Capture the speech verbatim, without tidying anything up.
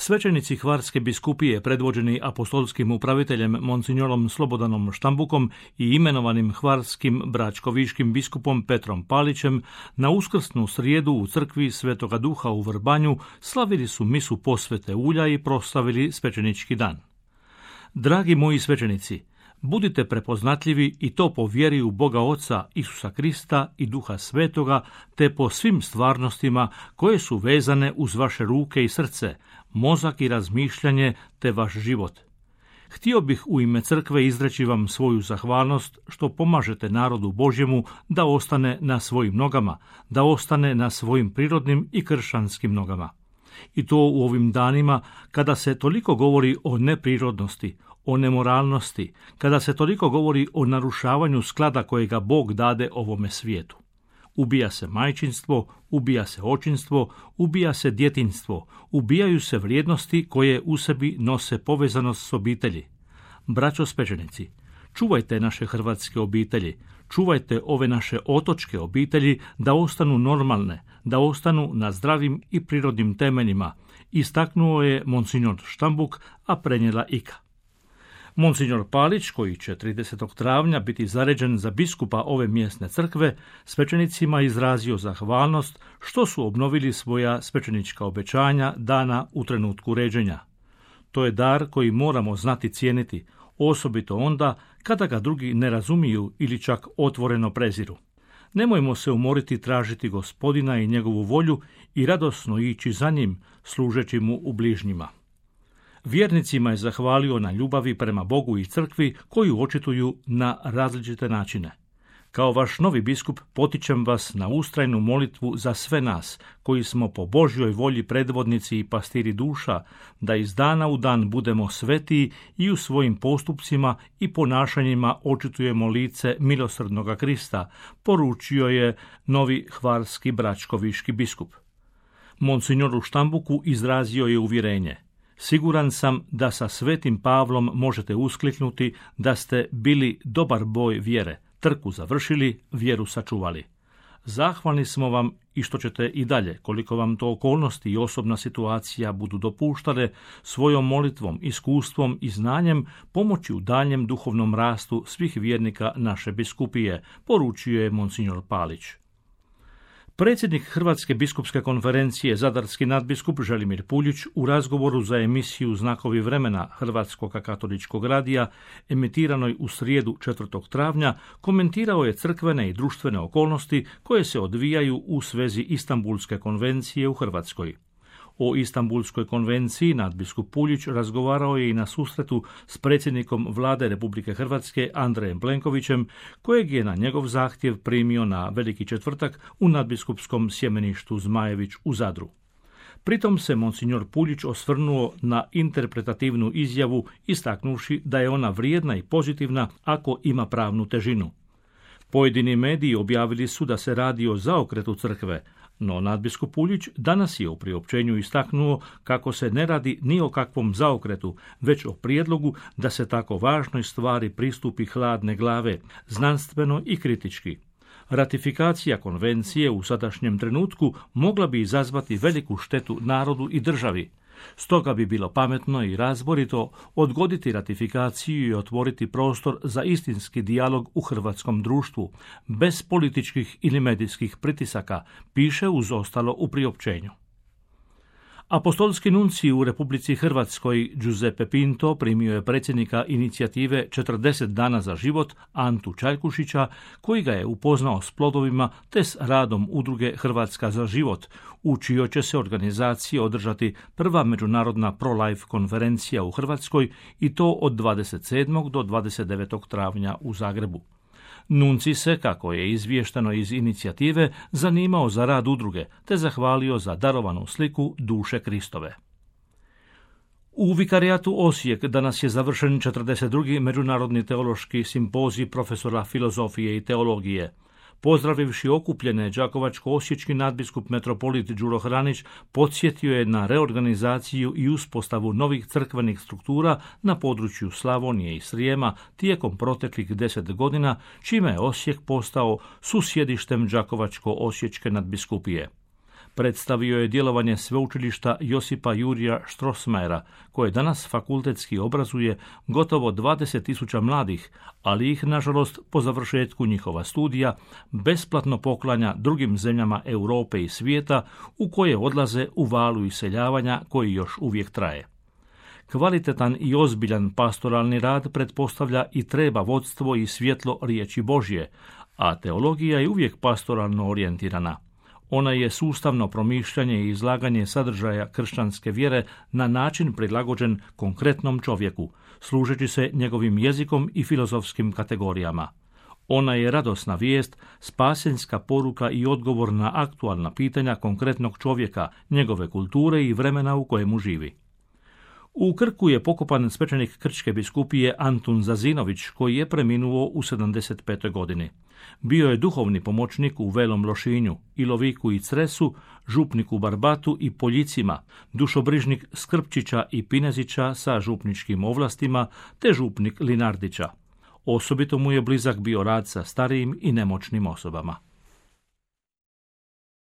Svećenici Hvarske biskupije, predvođeni apostolskim upraviteljem monsignorom Slobodanom Štambukom i imenovanim hvarskim bračkoviškim biskupom Petrom Palićem, na uskrsnu srijedu u crkvi Svetoga Duha u Vrbanju slavili su misu posvete ulja i proslavili svećenički dan. Dragi moji svećenici, budite prepoznatljivi i to po vjeri u Boga Oca, Isusa Krista i Duha Svetoga, te po svim stvarnostima koje su vezane uz vaše ruke i srce, mozak i razmišljanje te vaš život. Htio bih u ime crkve izreći vam svoju zahvalnost što pomažete narodu Božjemu da ostane na svojim nogama, da ostane na svojim prirodnim i kršćanskim nogama. I to u ovim danima kada se toliko govori o neprirodnosti, o nemoralnosti, kada se toliko govori o narušavanju sklada kojega Bog dade ovome svijetu. Ubija se majčinstvo, ubija se očinstvo, ubija se djetinjstvo, ubijaju se vrijednosti koje u sebi nose povezanost s obitelji. Braćo svećenici, čuvajte naše hrvatske obitelji, čuvajte ove naše otočke obitelji da ostanu normalne, da ostanu na zdravim i prirodnim temeljima, istaknuo je monsignor Štambuk, a prenijela Ika. Monsignor Palić, koji će tridesetog travnja biti zaređen za biskupa ove mjesne crkve, svećenicima izrazio zahvalnost što su obnovili svoja svećenička obećanja dana u trenutku ređenja. To je dar koji moramo znati cijeniti, osobito onda kada ga drugi ne razumiju ili čak otvoreno preziru. Nemojmo se umoriti tražiti Gospodina i njegovu volju i radosno ići za njim, služeći mu u bližnjima. Vjernicima je zahvalio na ljubavi prema Bogu i crkvi koju očituju na različite načine. Kao vaš novi biskup potičem vas na ustrajnu molitvu za sve nas, koji smo po Božjoj volji predvodnici i pastiri duša, da iz dana u dan budemo svetiji i u svojim postupcima i ponašanjima očitujemo lice milosrdnoga Krista, poručio je novi hvarski bračkoviški biskup. Monsignoru Štambuku izrazio je uvjerenje: siguran sam da sa svetim Pavlom možete uskliknuti da ste bili dobar boj vjere, trku završili, vjeru sačuvali. Zahvalni smo vam i što ćete i dalje, koliko vam to okolnosti i osobna situacija budu dopuštale, svojom molitvom, iskustvom i znanjem pomoći u daljem duhovnom rastu svih vjernika naše biskupije, poručio je monsignor Palić. Predsjednik Hrvatske biskupske konferencije, zadarski nadbiskup Želimir Puljić, u razgovoru za emisiju Znakovi vremena Hrvatskog katoličkog radija, emitiranoj u srijedu četvrtog travnja, komentirao je crkvene i društvene okolnosti koje se odvijaju u svezi Istanbulske konvencije u Hrvatskoj. O Istanbulskoj konvenciji nadbiskup Puljić razgovarao je i na susretu s predsjednikom Vlade Republike Hrvatske Andrejem Plenkovićem, kojeg je na njegov zahtjev primio na Veliki četvrtak u nadbiskupskom sjemeništu Zmajević u Zadru. Pritom se monsignor Puljić osvrnuo na interpretativnu izjavu, istaknuvši da je ona vrijedna i pozitivna ako ima pravnu težinu. Pojedini mediji objavili su da se radi o zaokretu crkve, no nadbiskup Puljić danas je u priopćenju istaknuo kako se ne radi ni o kakvom zaokretu, već o prijedlogu da se tako važnoj stvari pristupi hladne glave, znanstveno i kritički. Ratifikacija konvencije u sadašnjem trenutku mogla bi izazvati veliku štetu narodu i državi. Stoga bi bilo pametno i razborito odgoditi ratifikaciju i otvoriti prostor za istinski dijalog u hrvatskom društvu, bez političkih ili medijskih pritisaka, piše uz ostalo u priopćenju. Apostolski nuncij u Republici Hrvatskoj Giuseppe Pinto primio je predsjednika inicijative četrdeset dana za život Antu Čajkušića, koji ga je upoznao s plodovima te s radom udruge Hrvatska za život, u čijoj će se organizaciji održati prva međunarodna pro-life konferencija u Hrvatskoj, i to od dvadeset sedmog do dvadeset devetog travnja u Zagrebu. Nuncij se, kako je izvješteno iz inicijative, zanimao za rad udruge, te zahvalio za darovanu sliku duše Kristove. U vikarijatu Osijek danas je završen četrdeset drugi međunarodni teološki simpozij profesora filozofije i teologije. Pozdravivši okupljene, đakovačko-osječki nadbiskup metropolit Đuro Hranić podsjetio je na reorganizaciju i uspostavu novih crkvenih struktura na području Slavonije i Srijema tijekom proteklih deset godina, čime je Osijek postao susjedištem đakovačko-osječke nadbiskupije. Predstavio je djelovanje sveučilišta Josipa Jurija Strossmayera, koje danas fakultetski obrazuje gotovo dvadeset tisuća mladih, ali ih, nažalost, po završetku njihova studija, besplatno poklanja drugim zemljama Europe i svijeta u koje odlaze u valu iseljavanja koji još uvijek traje. Kvalitetan i ozbiljan pastoralni rad pretpostavlja i treba vodstvo i svjetlo riječi Božje, a teologija je uvijek pastoralno orijentirana. Ona je sustavno promišljanje i izlaganje sadržaja kršćanske vjere na način prilagođen konkretnom čovjeku, služeći se njegovim jezikom i filozofskim kategorijama. Ona je radosna vijest, spasenska poruka i odgovor na aktualna pitanja konkretnog čovjeka, njegove kulture i vremena u kojemu živi. U Krku je pokopan svećenik Krčke biskupije Antun Zazinović, koji je preminuo u sedamdeset petoj godini. Bio je duhovni pomoćnik u Velom Lošinju, Iloviku i Cresu, župnik u Barbatu i Poljicima, dušobrižnik Skrpčića i Pinezića sa župničkim ovlastima, te župnik Linardića. Osobito mu je blizak bio rad sa starijim i nemoćnim osobama.